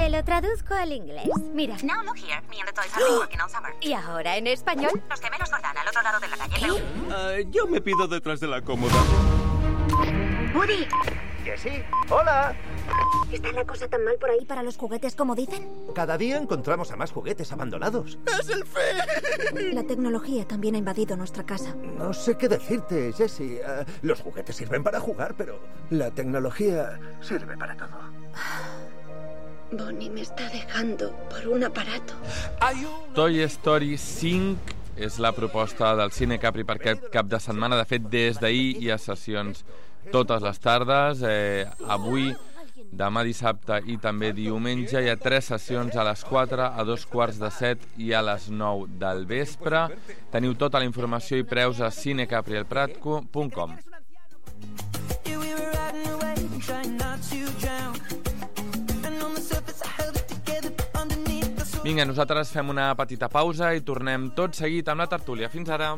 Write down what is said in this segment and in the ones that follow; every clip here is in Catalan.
Te lo traduzco al inglés. Mira. Now look here, me and the toys have been working all summer. ¿Y ahora en español? Los gemelos Jordán al otro lado de la calle. Yo me pido detrás de la cómoda. Woody. Jessie, hola. ¿Está la cosa tan mal por ahí para los juguetes como dicen? Cada día encontramos a más juguetes abandonados. ¡Es el fin! La tecnología también ha invadido nuestra casa. No sé qué decirte, Jessie. Los juguetes sirven para jugar, pero la tecnología sirve para todo. Bonnie me està dejando por un aparato. Toy Story 5 és la proposta del Cine Capri per aquest cap de setmana. De fet, des d'ahir hi ha sessions totes les tardes. Avui, demà dissabte i també diumenge hi ha 3 sessions a les 4, a 2:15 i a les 9 del vespre. Teniu tota la informació i preus a cinecaprielprat.com. Vinga, nosaltres fem una petita pausa i tornem tot seguit amb la tertúlia. Fins ara.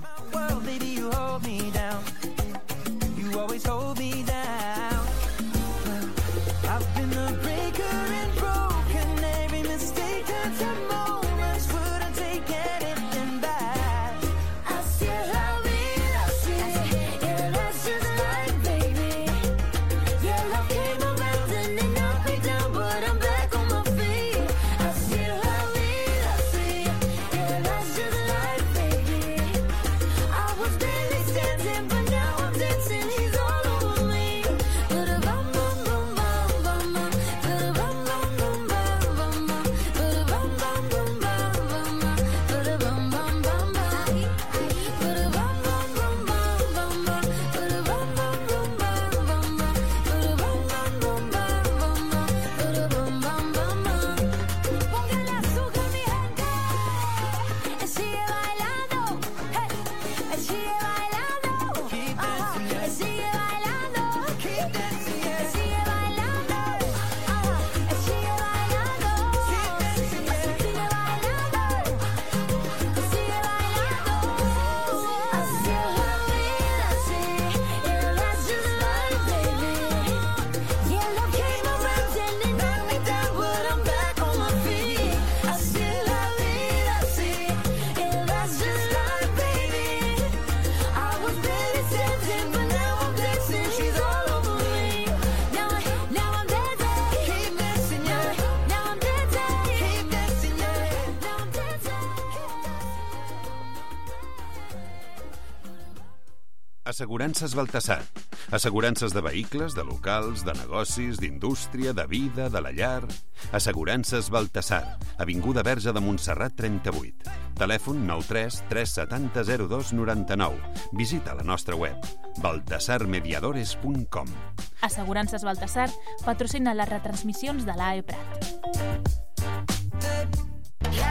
Assegurances Baltasar. Assegurances de vehicles, de locals, de negocis, d'indústria, de vida, de la llar... Assegurances Baltasar. Avinguda Verge de Montserrat 38. Telèfon 93 370 02 99. Visita la nostra web baltasarmediadores.com. Assegurances Baltasar patrocina les retransmissions de l'AE Prat.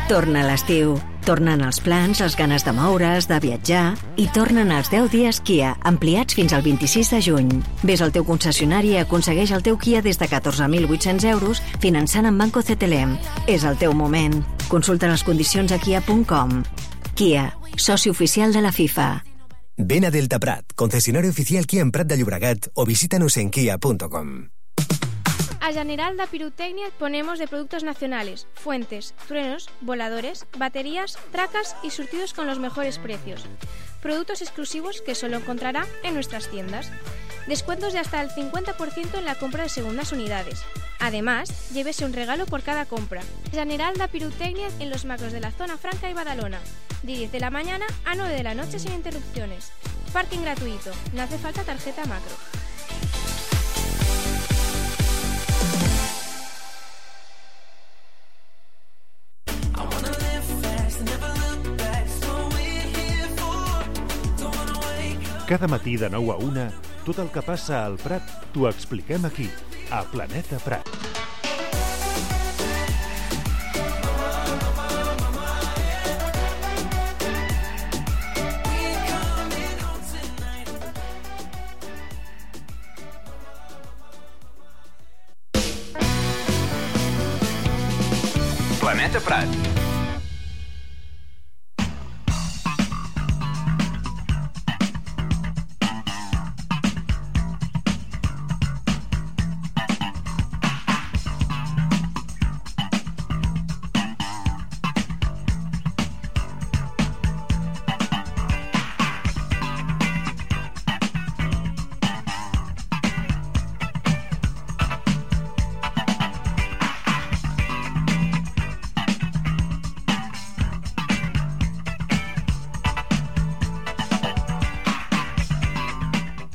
Torna l'estiu. Tornen els plans, les ganes de moure's, de viatjar i tornen els 10 dies Kia, ampliats fins al 26 de juny. Ves al teu concessionari i aconsegueix el teu Kia des de 14.800 euros finançant amb Banco CTLM. És el teu moment. Consulta les condicions a kia.com. Kia, soci oficial de la FIFA. Ven a Delta Prat, concesionario oficial Kia en Prat de Llobregat o visítanos en kia.com. A General de Pirotecnia ponemos de productos nacionales, fuentes, truenos, voladores, baterías, tracas y surtidos con los mejores precios. Productos exclusivos que solo encontrará en nuestras tiendas. Descuentos de hasta el 50% en la compra de segundas unidades. Además, llévese un regalo por cada compra. General de Pirotecnia en los macros de la Zona Franca y Badalona. De 10 de la mañana a 9 de la noche sin interrupciones. Parking gratuito. No hace falta tarjeta macro. Cada matí de 9 a 1, tot el que passa al Prat t'ho expliquem aquí, a Planeta Prat. Planeta Prat.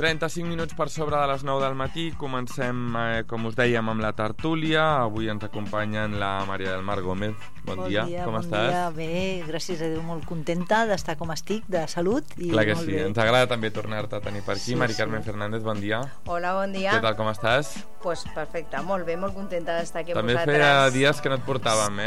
35 minuts per sobre de les 9 del matí. Comencem, com us dèiem, amb la tertúlia. Avui ens acompanyen la Maria del Mar Gómez. Bon dia, com estàs? Bon dia, bé, gràcies a Déu, molt contenta d'estar com estic, de salut. I clar que molt sí, bé. ens agrada també tornar-te a tenir per aquí. Sí, Mari Carmen sí. Fernández, bon dia. Hola, bon dia. Què tal, com estàs? Pues perfecte, molt bé, molt contenta d'estar aquí amb També vosaltres. feia dies que no et portàvem,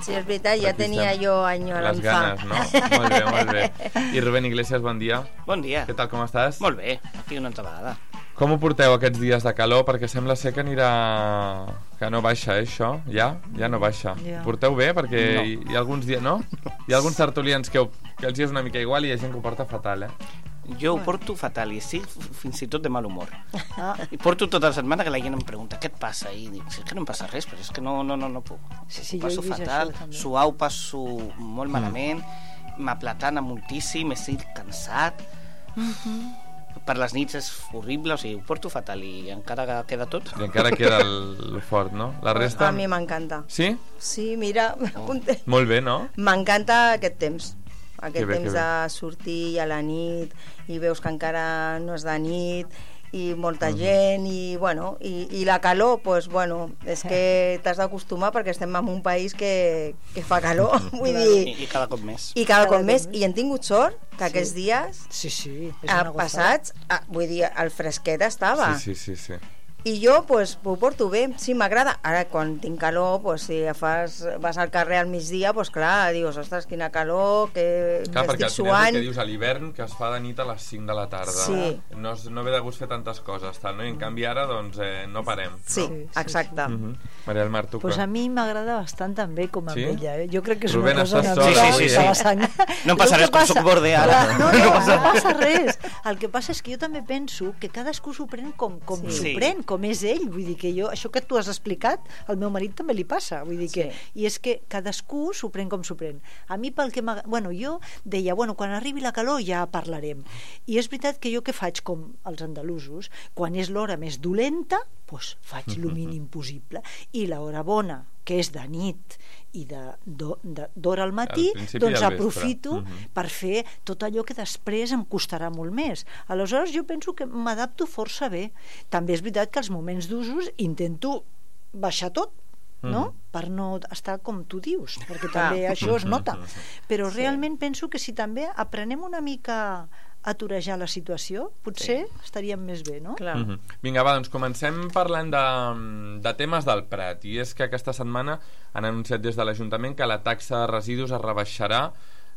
Sí, és veritat, ja Aquí tenia estem. jo enyorança. Les ganes, no? Molt bé, molt bé. I Rubén Iglesias, bon dia. Bon dia. Què tal, com estàs? Molt bé, aquí una altra vegada. Com ho porteu aquests dies de calor? Perquè sembla ser que anirà... que no baixa, això? Ja no baixa. Ja. Porteu bé? Perquè No. hi ha alguns dies... No? Hi ha alguns tertulians que els hi és una mica igual i hi ha gent que ho porta fatal, Jo ho porto fatal i estic fins i tot de mal humor. I porto tota la setmana que la gent em pregunta què et passa? I dic, és que no em passa res, però és que no puc. Sí, Ho passo jo he vist fatal, això, també. suau passo molt malament, m'aplatana moltíssim, estic cansat. Per les nits és horrible, o sigui, ho porto fatal i encara queda tot. I encara queda el fort, no? La resta... A mi m'encanta. Sí? Sí, mira, Molt bé, no? m'encanta aquest temps. Aquest Que bé, temps que bé. de sortir a la nit i veus que encara no és de nit i molta gent i, bueno, i la calor, pues, bueno, és que t'has d'acostumar perquè estem en un país que fa calor, vull dir... I cada cop més. I cada cop més, i hem tingut sort que aquests dies passats, vull dir, el fresquet estava. Sí. I jo, pues, ho porto bé, sí, m'agrada. Ara, quan tinc calor, pues, si vas al carrer al migdia, pues, clar, dius, ostres, quina calor, que Clar, perquè estic al final és el suant. que dius a l'hivern que es fa de nit a les 5 de la tarda. Sí. No ve de gust fer tantes coses, tal, no? I en canvi ara, doncs, no parem. Sí, no? exacte. Maria del Mar, tu Pues a mi m'agrada bastant també com a Sí? ella. Jo crec que és Rubén, una cosa estàs una sola, mica sí. de la sang. No em passa res, com soc borde ara. No passa res. El que passa és que jo també penso que cadascú s'ho pren com s'ho pren, com és ell. Vull dir que jo, això que tu has explicat, al meu marit també li passa. Vull dir que, i és que cadascú s'ho pren com s'ho pren. A mi pel que bueno, jo deia, bueno, quan arribi la calor ja parlarem. I és veritat que jo què faig com els andalusos? Quan és l'hora més dolenta, doncs faig el mínim possible. I l'hora bona, que és de nit i d'hora al matí, Al principi doncs i al vespre. aprofito per fer tot allò que després em costarà molt més. Aleshores jo penso que m'adapto força bé. També és veritat que als moments d'usos intento baixar tot, no? Per no estar com tu dius, perquè també això es nota. Però realment penso que si també aprenem una mica a torejar la situació, potser estaríem més bé, no? Vinga, va, doncs comencem parlant de temes del Prat. I és que aquesta setmana han anunciat des de l'Ajuntament que la taxa de residus es rebaixarà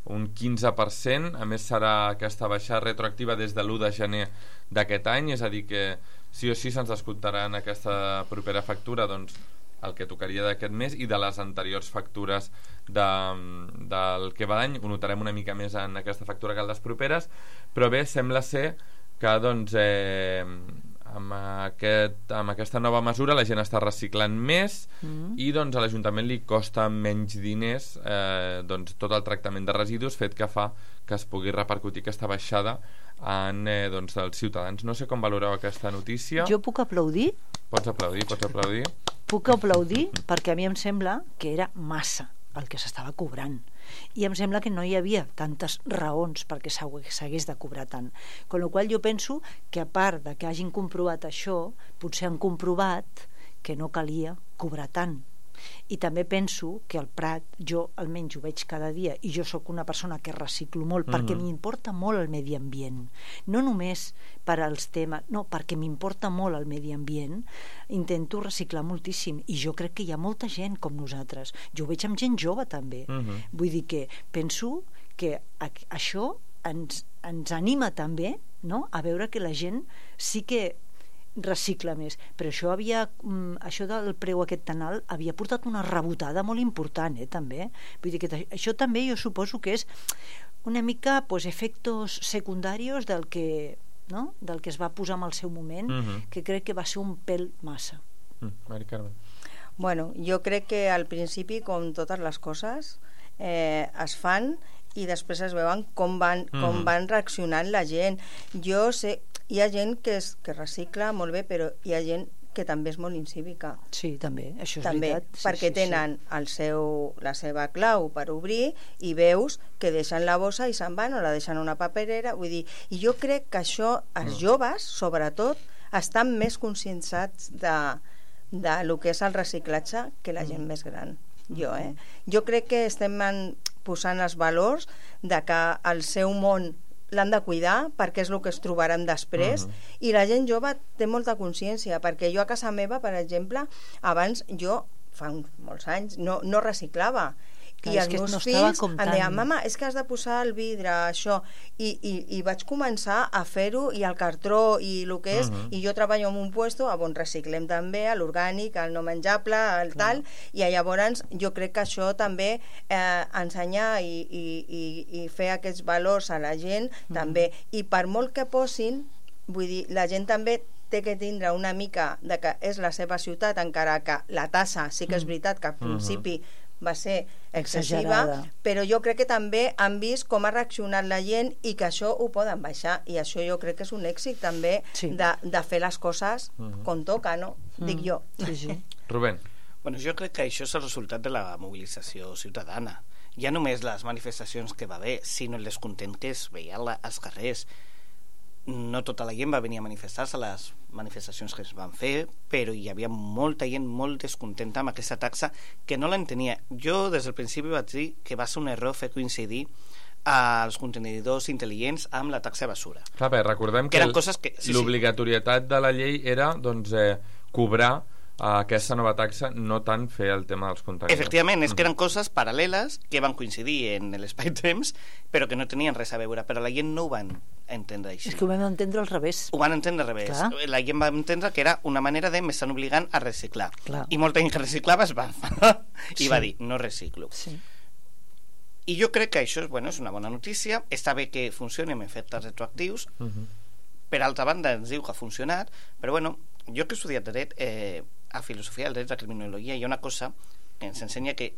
un 15%. A més, serà aquesta baixada retroactiva des de l'1 de gener d'aquest any, és a dir que sí o sí se'ns descomptarà en aquesta propera factura, doncs, el que tocaria d'aquest mes i de les anteriors factures del que va d'any. Ho notarem una mica més en aquesta factura que en les properes, però bé, sembla ser que doncs, amb aquesta nova mesura la gent està reciclant més i doncs a l'Ajuntament li costa menys diners doncs, tot el tractament de residus, fet que fa que es pugui repercutir aquesta baixada en doncs, els ciutadans. No sé com valoreu aquesta notícia. Jo puc aplaudir? Pots aplaudir. Puc aplaudir perquè a mi em sembla que era massa el que s'estava cobrant i em sembla que no hi havia tantes raons perquè s'hagués de cobrar tant, con la qual jo penso que a part de que hagin comprovat això, potser han comprovat que no calia cobrar tant. I també penso que al Prat, jo almenys ho veig cada dia, i jo sóc una persona que reciclo molt perquè m'importa molt el medi ambient, no només per als temes, no, perquè m'importa molt el medi ambient, intento reciclar moltíssim, i jo crec que hi ha molta gent com nosaltres, jo ho veig amb gent jove també, vull dir que penso que això ens anima també, no?, a veure que la gent sí que recicla més, però això del preu aquest tan alt havia portat una rebotada molt important, també. Vull dir que això també jo suposo que és una mica efectos secundaris del que es va posar en el seu moment, que crec que va ser un pèl massa. Mari Carmen. Bueno, jo crec que al principi, com totes les coses, es fan i després es veuen com van reaccionant la gent. Jo sé, hi ha gent que recicla molt bé, però hi ha gent que també és molt incívica. Sí, també, això és també, veritat. Sí, perquè sí, tenen la seva clau per obrir i veus que deixen la bossa i se'n van o la deixen una paperera, vull dir, i jo crec que això, els joves, sobretot, estan més conscienciats de lo que és el reciclatge que la gent més gran. Jo crec que estem posant els valors de que el seu món l'han de cuidar perquè és el que es trobaran després i la gent jove té molta consciència, perquè jo a casa meva, per exemple, abans jo fa molts anys no reciclava i els meus fills em deien, mama, és que has de posar el vidre, això, i vaig començar a fer-ho, i el cartró i el que és, i jo treballo en un puesto on reciclem també l'orgànic, el no menjable, el tal, i llavors jo crec que això també ensenyar i fer aquests valors a la gent també, i per molt que posin, vull dir, la gent també té que tindre una mica de que és la seva ciutat, encara que la tassa sí que és veritat que al principi va ser excessiva, però jo crec que també han vist com ha reaccionat la gent i que això ho poden baixar, i això jo crec que és un èxit també de fer les coses com toca, no? Dic jo. Rubén. Bueno, jo crec que això és el resultat de la mobilització ciutadana. Ja només les manifestacions que va haver, sinó el descontent que es veia als carrers. No tota la gent va venir a manifestar-se a les manifestacions que es van fer, però hi havia molta gent molt descontenta amb aquesta taxa que no l'entenia. Jo des del principi vaig dir que va ser un error fer coincidir els contenidors intel·ligents amb la taxa de basura. Clar, bé, recordem que l'obligatorietat de la llei era cobrar aquesta nova taxa, no tant fer el tema dels contenidors. Efectivament, és que eren coses paral·leles que van coincidir en l'espai-temps, però que no tenien res a veure, però la gent no ho van entendre així. És que ho vam entendre al revés. Ho van entendre al revés. Clar. La gent va entendre que era una manera de m'estan obligant a reciclar. Clar. I molta gent que reciclava es va enfadar i va dir, no reciclo. Sí. I jo crec que això és una bona notícia. Està bé que funcioni amb efectes retroactius. Per altra banda, ens diu que ha funcionat, però jo que he estudiat dret, a filosofia del dret, a criminologia, hi ha una cosa que ens ensenya que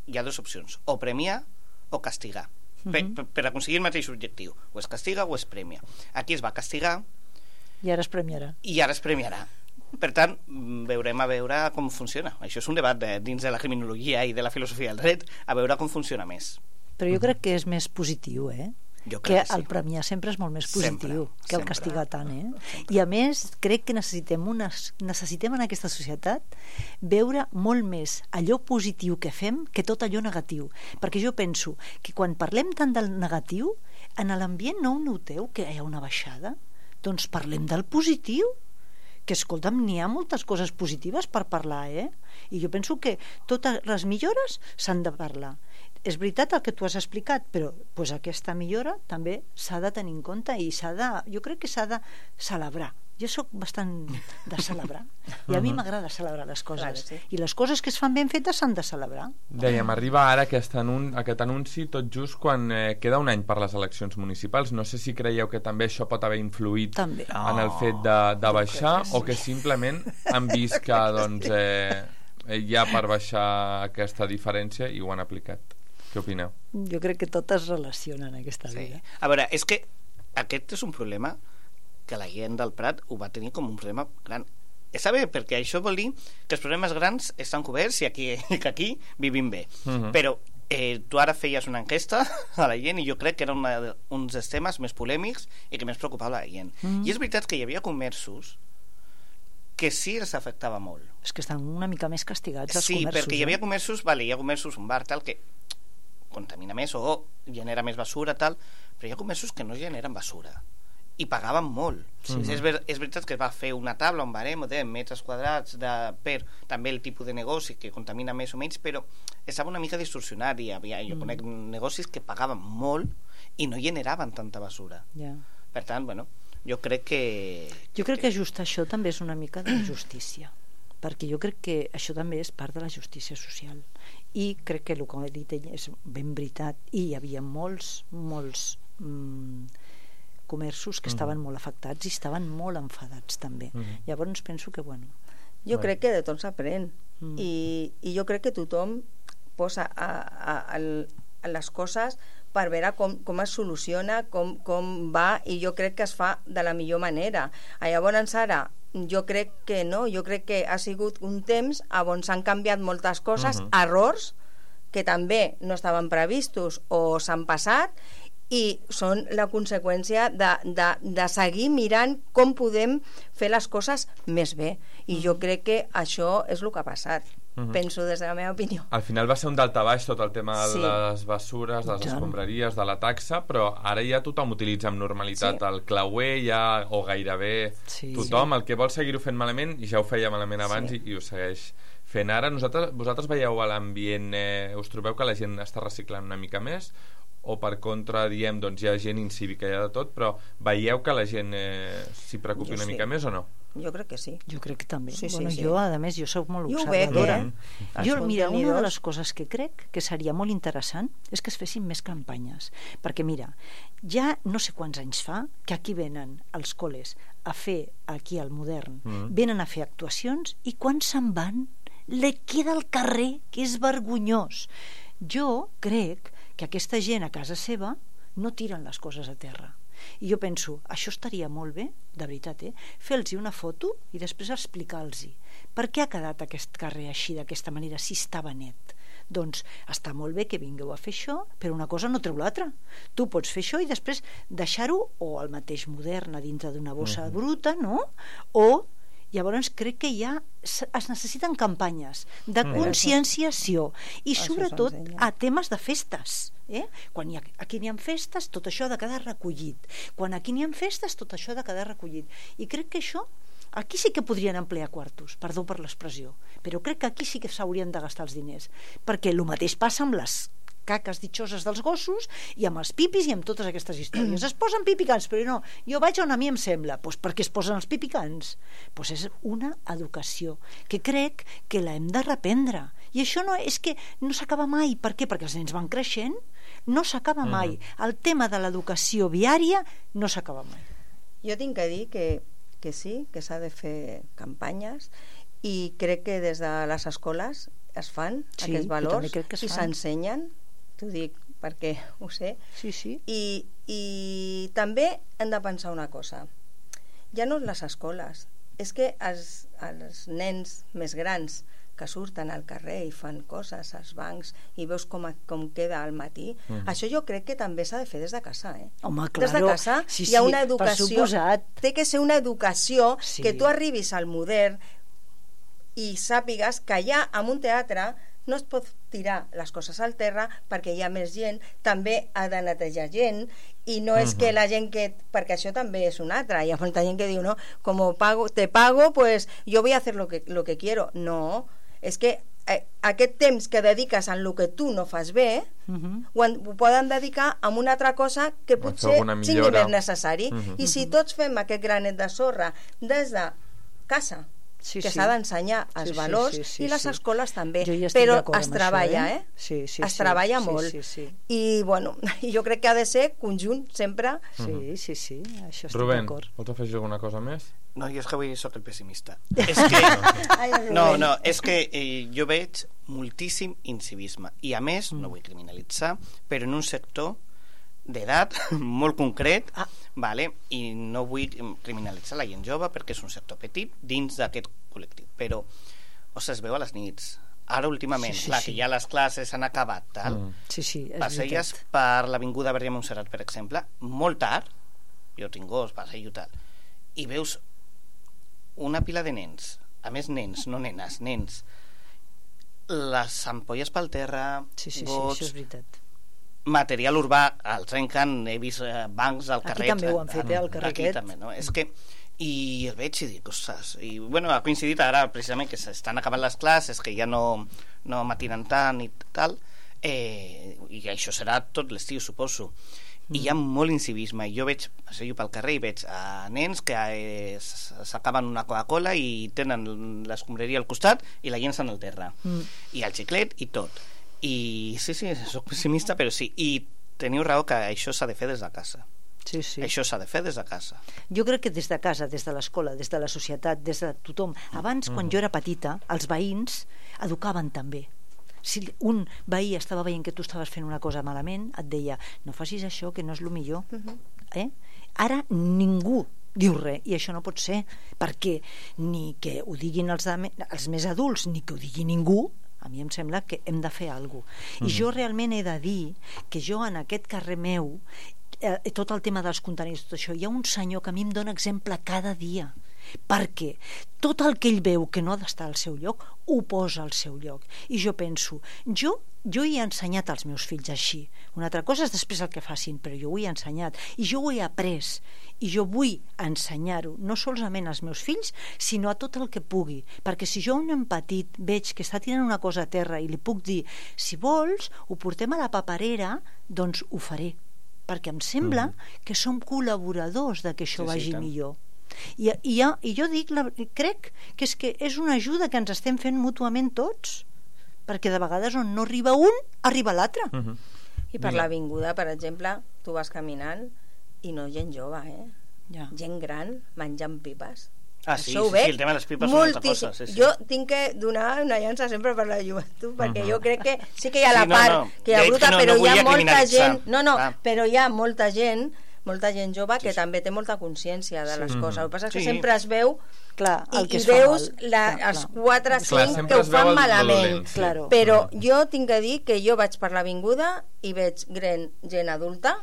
hi ha dues opcions, o premiar o castigar, per aconseguir el mateix objectiu, o es castiga o es premia. Aquí es va castigar i ara es premiarà. Per tant, veurem a veure com funciona. Això és un debat dins de la criminologia i de la filosofia del dret, a veure com funciona més. Però jo crec que és més positiu, que el premiar sempre és molt més positiu que el castigar tant, I a més crec que necessitem en aquesta societat veure molt més allò positiu que fem que tot allò negatiu, perquè jo penso que quan parlem tant del negatiu, en l'ambient no ho noteu que hi ha una baixada? Doncs parlem del positiu, que escolta'm, n'hi ha moltes coses positives per parlar, i jo penso que totes les millores s'han de parlar. És veritat el que tu has explicat, però aquesta millora també s'ha de tenir en compte i jo crec que s'ha de celebrar. Jo sóc bastant de celebrar i a mi m'agrada celebrar les coses, i les coses que es fan ben fetes s'han de celebrar. Dèiem, arriba ara aquest anunci tot just quan queda un any per les eleccions municipals. No sé si creieu que també això pot haver influït en el fet de baixar, o que simplement han vist que hi ha per baixar aquesta diferència i ho han aplicat. Què opineu? Jo crec que tot es relaciona en aquesta vida. A veure, és que aquest és un problema que la gent del Prat ho va tenir com un problema gran. Està bé, perquè això vol dir que els problemes grans estan coberts i que aquí vivim bé. Però tu ara feies una enquesta a la gent i jo crec que era un dels temes més polèmics i que més preocupava la gent. I és veritat que hi havia comerços que sí els afectava molt. És que estan una mica més castigats els comerços. Sí, perquè hi havia comerços, hi ha comerços, un bar tal, que contamina més o genera més basura tal, però hi ha comerços que no generen basura i pagaven molt. És veritat que es va fer una taula, un barem de metres quadrats per també el tipus de negoci que contamina més o menys, però estava una mica distorsionat i jo conec negocis que pagaven molt i no generaven tanta basura. Per tant, jo crec que just això també és una mica de justícia, perquè jo crec que això també és part de la justícia social, i crec que el que he dit és ben veritat, i hi havia molts comerços que estaven molt afectats i estaven molt enfadats també. Llavors penso que jo crec que de tot s'aprèn, i jo crec que tothom posa les coses per veure com es soluciona, com va, i jo crec que es fa de la millor manera. Llavors ara jo crec que no, jo crec que ha sigut un temps on s'han canviat moltes coses, errors que també no estaven previstos o s'han passat, i són la conseqüència de seguir mirant com podem fer les coses més bé, i jo crec que això és el que ha passat. Penso des de la meva opinió. Al final va ser un daltabaix tot el tema de les bessures, de les escombraries, de la taxa, però ara ja tothom utilitza amb normalitat el clauer, ja, o gairebé tothom. El que vol seguir-ho fent malament ja ho feia malament abans i ho segueix fent ara. Vosaltres veieu a l'ambient, us trobeu que la gent està reciclant una mica més, o per contra diem, doncs hi ha gent incívica, hi ha de tot, però veieu que la gent s'hi preocupi una mica més o no? Jo crec que sí. Jo crec que també. Sí. Jo, a més, jo soc molt observadora. Mira, una de les coses que crec que seria molt interessant és que es fessin més campanyes. Perquè, mira, ja no sé quants anys fa que aquí venen els col·les a fer, aquí al Modern, venen a fer actuacions, i quan se'n van, le queda al carrer, que és vergonyós. Jo crec que aquesta gent a casa seva no tiren les coses a terra. I jo penso, això estaria molt bé, de veritat, fer-los una foto i després explicar-los per què ha quedat aquest carrer així, d'aquesta manera, si estava net. Doncs està molt bé que vingueu a fer això, però una cosa no treu l'altra. Tu pots fer això i després deixar-ho o al mateix Modern a dintre d'una bossa bruta, no? O llavors crec que ja es necessiten campanyes de conscienciació i sobretot a temes de festes. Quan aquí n'hi ha festes, tot això ha de quedar recollit. Quan aquí n'hi ha festes, tot això ha de quedar recollit. I crec que això, aquí sí que podrien emplear quartos, perdó per l'expressió, però crec que aquí sí que s'haurien de gastar els diners, perquè el mateix passa amb les caques ditxoses dels gossos i amb els pipis i amb totes aquestes històries. Es posen pipicants, però no, jo vaig on a mi em sembla. Doncs per què es posen els pipicants? Doncs és una educació que crec que l'hem de reprendre, i això no és que no s'acaba mai. Per què? Perquè els nens van creixent, no s'acaba mai. El tema de l'educació viària no s'acaba mai. Jo tinc que dir que sí, que s'ha de fer campanyes, i crec que des de les escoles es fan aquests valors i s'ensenyen. T'ho dic perquè ho sé. I també hem de pensar una cosa. Ja no les escoles, és que els nens més grans que surten al carrer i fan coses als bancs i veus com queda al matí, això jo crec que també s'ha de fer des de casa. Home, des de casa hi ha una educació, té que ser una educació que tu arribis al Modern i sàpigues que allà en un teatre no es pot tirar les coses al terra perquè hi ha més gent, també ha de netejar gent, i no és que la gent que... perquè això també és un altre, hi ha molta gent que diu, no, como te pago, pues yo voy a hacer lo que quiero. No, és que aquest temps que dediques en el que tu no fas bé ho poden dedicar a una altra cosa que potser sigui més necessari. I si tots fem aquest granet de sorra des de casa, que s'ha d'ensenyar els valors, i les escoles també, però es treballa, es treballa molt, i bueno, jo crec que ha de ser conjunt sempre. Sí, això estic Rubén, d'acord. vols afegir alguna cosa més? No, jo és que avui soc el pessimista. És que és que jo veig moltíssim incivisme, i a més, no vull criminalitzar, però en un sector d'edat molt concret, i no vull criminalitzar la gent jove perquè és un sector petit dins d'aquest col·lectiu, però es veu a les nits. Ara últimament, clar, que ja les classes han acabat, passeies per l'avinguda Verge Montserrat, per exemple, molt tard, jo tinc gos, passejo tal, i veus una pila de nens, a més nens, no nenes, nens, les ampolles pel terra, gots, això és veritat. Material urbà, el trenquen, he vist bancs al carrer. Aquí també ho han fet, al carrer aquest. També, no? És que, i el veig i dic, ostres, i bueno, ha coincidit ara precisament que s'estan acabant les classes, que ja no matinen tant i tal, i això serà tot l'estiu, suposo. I hi ha molt incivisme, i jo veig, passejo pel carrer i veig nens que s'acaben una Coca-Cola i tenen l'escombraria al costat i la llencen al terra, i el xiclet i tot. I sí, soc pessimista, però sí, i teniu raó que això s'ha de fer des de casa. Això s'ha de fer des de casa. Jo crec que des de casa, des de l'escola, des de la societat, des de tothom. Abans, quan jo era petita, els veïns educaven també. Si un veí estava veient que tu estaves fent una cosa malament, et deia, no facis això, que no és el millor. Ara ningú diu res, i això no pot ser, perquè ni que ho diguin els més adults ni que ho digui ningú. A mi em sembla que hem de fer alguna cosa. I jo realment he de dir que jo en aquest carrer meu, tot el tema dels contenidors, tot això, hi ha un senyor que a mi em dona exemple cada dia, perquè tot el que ell veu que no ha d'estar al seu lloc ho posa al seu lloc, i jo penso, jo he ensenyat als meus fills així. Una altra cosa és després el que facin, però jo ho he ensenyat i jo ho he après, i jo vull ensenyar-ho no solament als meus fills, sinó a tot el que pugui, perquè si jo a un nen petit veig que està tirant una cosa a terra i li puc dir, si vols ho portem a la paperera, doncs ho faré, perquè em sembla que som col·laboradors de que això vagi millor. I jo crec que és una ajuda que ens estem fent mútuament tots, perquè de vegades on no arriba un, arriba l'altre. I per l'avinguda, per exemple, tu vas caminant i no gent jove, gent gran menjant pipes. Sí, el tema de les pipes és una altra cosa. Jo tinc que donar una llança sempre per la joventut, perquè jo crec que sí que hi ha la part que hi ha bruta, però hi ha molta gent, però hi ha molta gent jove que també té molta consciència de les coses. El que passa és que sempre es veu i veus els 4 o 5 que ho fan malament, però jo tinc que dir que jo vaig per l'avinguda i veig gent adulta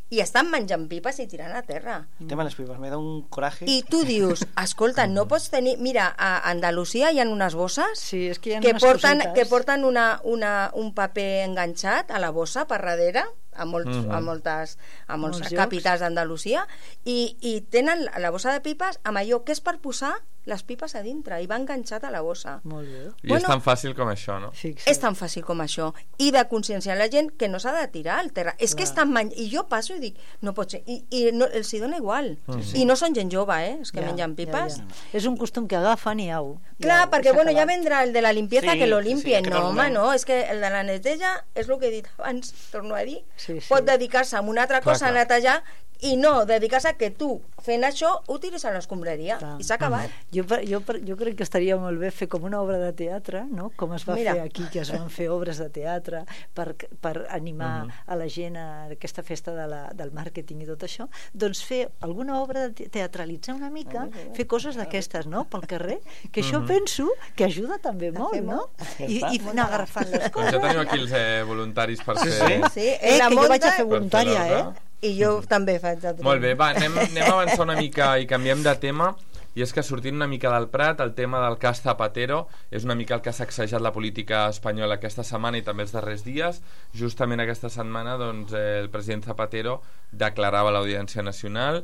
i estan menjant pipes i tirant a terra. El tema de les pipes me da un coraje. I tu dius, escolta, no pots tenir... Mira, a Andalusia hi ha unes bosses que porten un paper enganxat a la bossa per darrere, a molts capitals d'Andalusia, i tenen la bossa de pipes amb allò que és per posar les pipes a dintre, i va enganxat a la bossa. Molt bé. I és tan fàcil com això, no? És tan fàcil com això. I de conscienciar la gent que no s'ha de tirar al terra. És que estan i jo passo i dic, no pot ser. I els hi dona igual. I no són gent jove, és que mengen pipes. És un costum que agafen i au. Clar, perquè ja vendrà el de la limpieza que lo limpien. No, home, no. És que el de la neteja, és el que he dit abans, torno a dir, pot dedicar-se a una altra cosa, a netejar, i no dedicar-se a que tu fent això ho tiris a l'escombraria i s'ha acabat. Jo crec que estaria molt bé fer com una obra de teatre, no? Com es va fer aquí, que es van fer obres de teatre per animar a la gent a aquesta festa del màrqueting i tot això, doncs fer alguna obra de teatralitzar una mica, fer coses d'aquestes, no? Pel carrer, que això penso que ajuda també molt, no? I anar agafant les coses. Ja teniu aquí els voluntaris per fer... Sí, que jo vaig a fer voluntària, i jo també faig de Molt bé, va, anem a avançar una mica i canviem de tema, i és que sortint una mica del Prat, el tema del cas Zapatero és una mica el que ha sacsejat la política espanyola aquesta setmana i també els darrers dies. Justament aquesta setmana el president Zapatero declarava a l'Audiència Nacional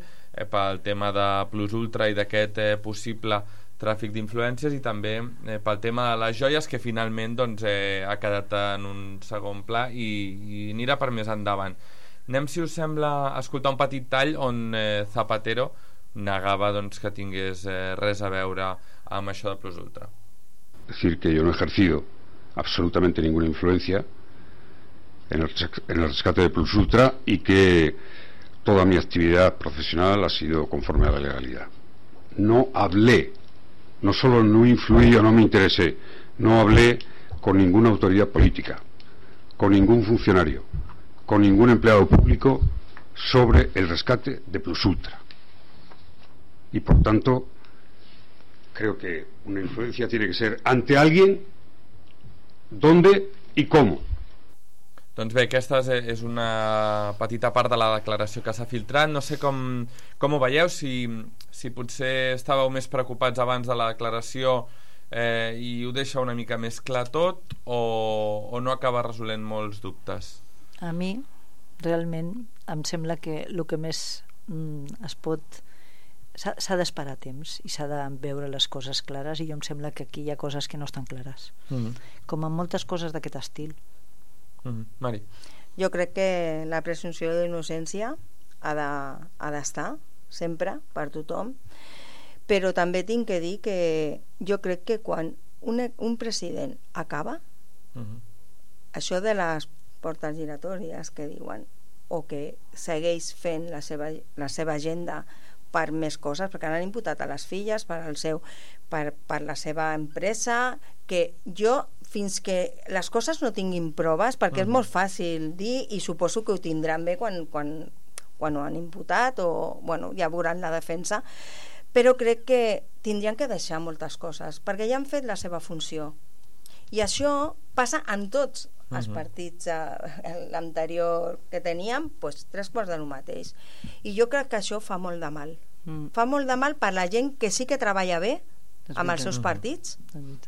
pel tema de Plus Ultra i d'aquest possible tràfic d'influències, i també pel tema de les joies, que finalment ha quedat en un segon pla i anirà per més endavant. Anem, si us sembla, a escoltar un petit tall on Zapatero negava que tingués res a veure amb això de Plus Ultra. Decir que yo no he ejercido absolutamente ninguna influencia en el rescate de Plus Ultra y que toda mi actividad profesional ha sido conforme a la legalidad. No hablé, no solo no influí o no me interesé, no hablé con ninguna autoridad política, con ningún funcionario, con ningún empleado público sobre el rescate de Plus Ultra. Y por tanto, creo que una influencia tiene que ser ante alguien, dónde y cómo. Doncs bé, aquesta és una petita part de la declaració que s'ha filtrat. No sé com ho veieu, si potser estàveu més preocupats abans de la declaració i ho deixa una mica més clar tot, o no acaba resolent molts dubtes. A mi, realment, em sembla que el que més es pot... S'ha d'esperar temps i s'ha de veure les coses clares, i jo em sembla que aquí hi ha coses que no estan clares. Com en moltes coses d'aquest estil. Mari. Jo crec que la presumpció d'innocència ha d'estar sempre per tothom, però també tinc que dir que jo crec que quan un president acaba, això de les portes giratòries que diuen, o que segueix fent la seva agenda per més coses, perquè han imputat a les filles per la seva empresa, que jo, fins que les coses no tinguin proves, perquè és molt fàcil dir, i suposo que ho tindran bé quan han imputat o, ja veuran la defensa, però crec que tindrien que deixar moltes coses, perquè ja han fet la seva funció. I això passa en tots els partits l'anterior que teníem, doncs 3/4 del mateix. I jo crec que això fa molt de mal. Fa molt de mal per la gent que sí que treballa bé amb els seus partits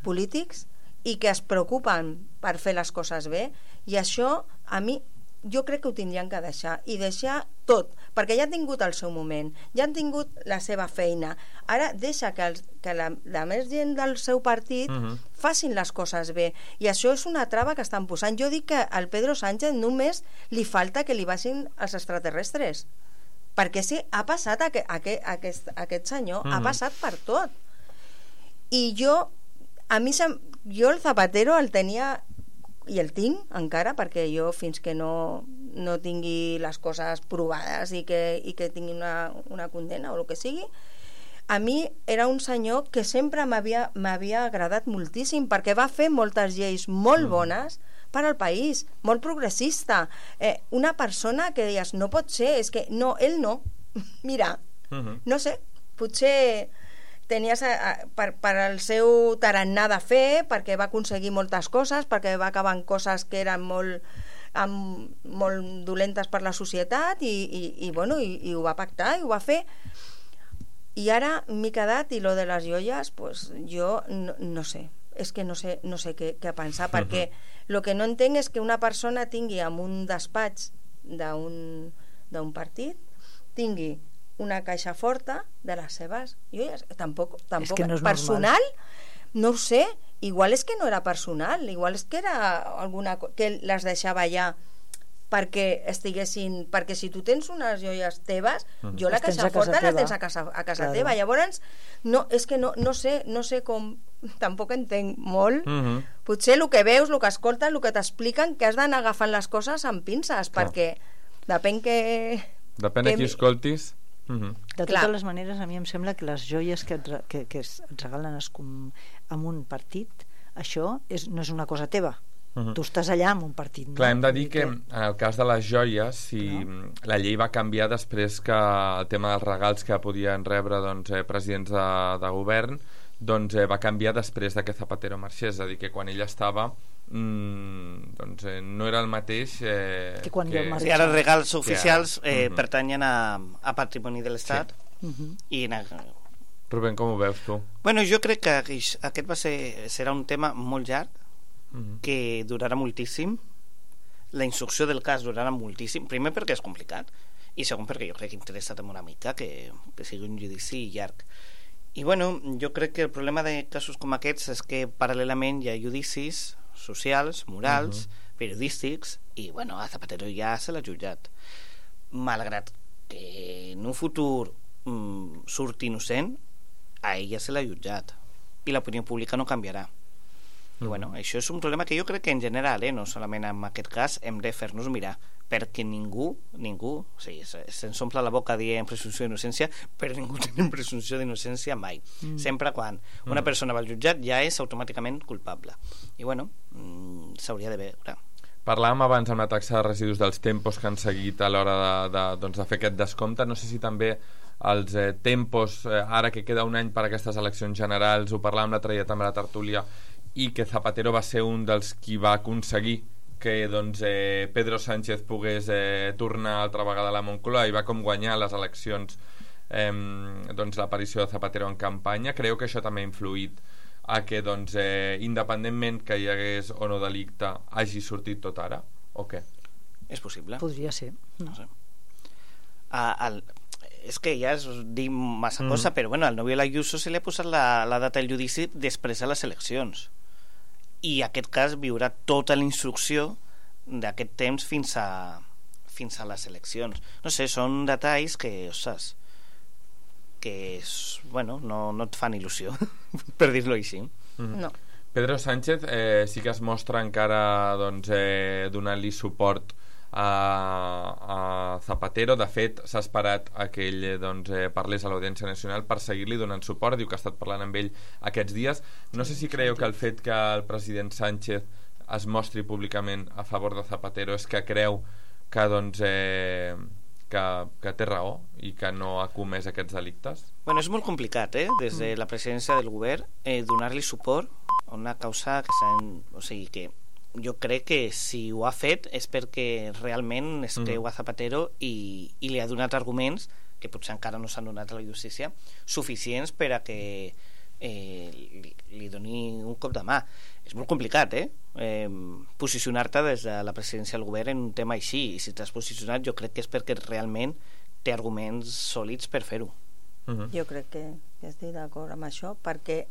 polítics i que es preocupen per fer les coses bé, i això a mi jo crec que ho tindrien que deixar, i deixar tot, perquè ja han tingut el seu moment, ja han tingut la seva feina, ara deixa que la més gent del seu partit facin les coses bé, i això és una trava que estan posant. Jo dic que al Pedro Sánchez només li falta que li baixin els extraterrestres, perquè sí, ha passat aquest senyor, ha passat per tot. I jo el Zapatero el tenia, i el tinc encara, perquè jo fins que no tingui les coses provades i que tingui una condena o el que sigui, a mi era un senyor que sempre m'havia agradat moltíssim, perquè va fer moltes lleis molt bones per al país, molt progressista, una persona que deies, no pot ser, és que no, ell no, mira, no sé, potser tenies per al seu tarannà de fer, perquè va aconseguir moltes coses, perquè va acabar amb coses que eren molt dolentes per la societat, i ho va pactar i ho va fer. I ara m'he quedat, i lo de les joies, pues jo no sé, és que no sé què pensar, perquè el que no entenc és que una persona tingui en un despatx d'un partit, tingui una caixa forta de les seves joies. Tampoc és que no és personal, no ho sé, igual és que no era personal, igual és que era alguna que les deixava allà perquè estiguessin, perquè si tu tens unes joies teves, jo la caixa forta la tens a casa teva, llavors és que no sé com, tampoc entenc molt, potser el que veus, el que escoltes, el que t'expliquen, que has d'anar agafant les coses amb pinces, perquè depèn de qui escoltis. De totes les maneres, a mi em sembla que les joies que es regalen amb un partit, això no és una cosa teva. Tu estàs allà amb un partit. Clar, hem de dir que en el cas de les joies, la llei va canviar després que el tema dels regals que podien rebre presidents de govern va canviar després que Zapatero marxés, és a dir, que quan ell estava no era el mateix que quan jo marxava. Ara els regals oficials pertanyen a patrimoni de l'Estat. I Rubén, com ho veus tu? Bueno, jo crec que aquest serà un tema molt llarg, que durarà moltíssim. La instrucció del cas durarà moltíssim, primer perquè és complicat i segon perquè jo crec que interessa també una mica que sigui un judici llarg. I bueno, jo crec que el problema de casos com aquests és que paral·lelament hi ha judicis socials, morals, periodístics, i bueno, a Zapatero ja se l'ha jutjat, malgrat que en un futur surti innocent, a ell ja se l'ha jutjat i l'opinió pública no canviarà. I bueno, això és un problema que jo crec que en general, no solament en aquest cas, hem de fer-nos mirar, perquè ningú se'ns omple la boca dient presumpció d'innocència, però ningú té presumpció d'innocència mai. Sempre quan una persona va al jutjat ja és automàticament culpable. I bueno, s'hauria de veure. Parlàvem abans amb la taxa de residus dels tempos que han seguit a l'hora de fer aquest descompte. No sé si també els tempos, ara que queda un any per a aquestes eleccions generals, ho parlàvem l'altre dia també a la tertúlia, i que Zapatero va ser un dels qui va aconseguir que Pedro Sánchez pogués tornar altra vegada a la Moncloa i va com guanyar les eleccions l'aparició de Zapatero en campanya. Creu que això també ha influït a que independentment que hi hagués o no delicte hagi sortit tot ara, o què? És possible. Podria ser. No sé. És que ja es diu massa cosa, però bueno, al novio Ayuso se li ha posat la data del judici després de les eleccions, i en aquest cas viurà tota la instrucció d'aquest temps fins a les eleccions. No sé, són detalls que, ostres, que bueno, no et fan il·lusió per dir-lo així. No. Pedro Sánchez sí que es mostra encara donant-li suport a Zapatero. De fet, s'ha esperat a que ell parlés a l'Audiència Nacional per seguir-li donant suport. Diu que ha estat parlant amb ell aquests dies. No sé si creieu que el fet que el president Sánchez es mostri públicament a favor de Zapatero és que creu que que té raó i que no ha comès aquests delictes? Bueno, és molt complicat, des de la presidència del govern, donar-li suport a una causa que o sigui que jo crec que si ho ha fet és perquè realment es creu a Zapatero i li ha donat arguments que potser encara no s'han donat a la justícia suficients per a que li doni un cop de mà. És molt complicat, posicionar-te des de la presidència del govern en un tema així, i si t'has posicionat jo crec que és perquè realment té arguments sòlids per fer-ho. Jo crec que estic d'acord amb això, perquè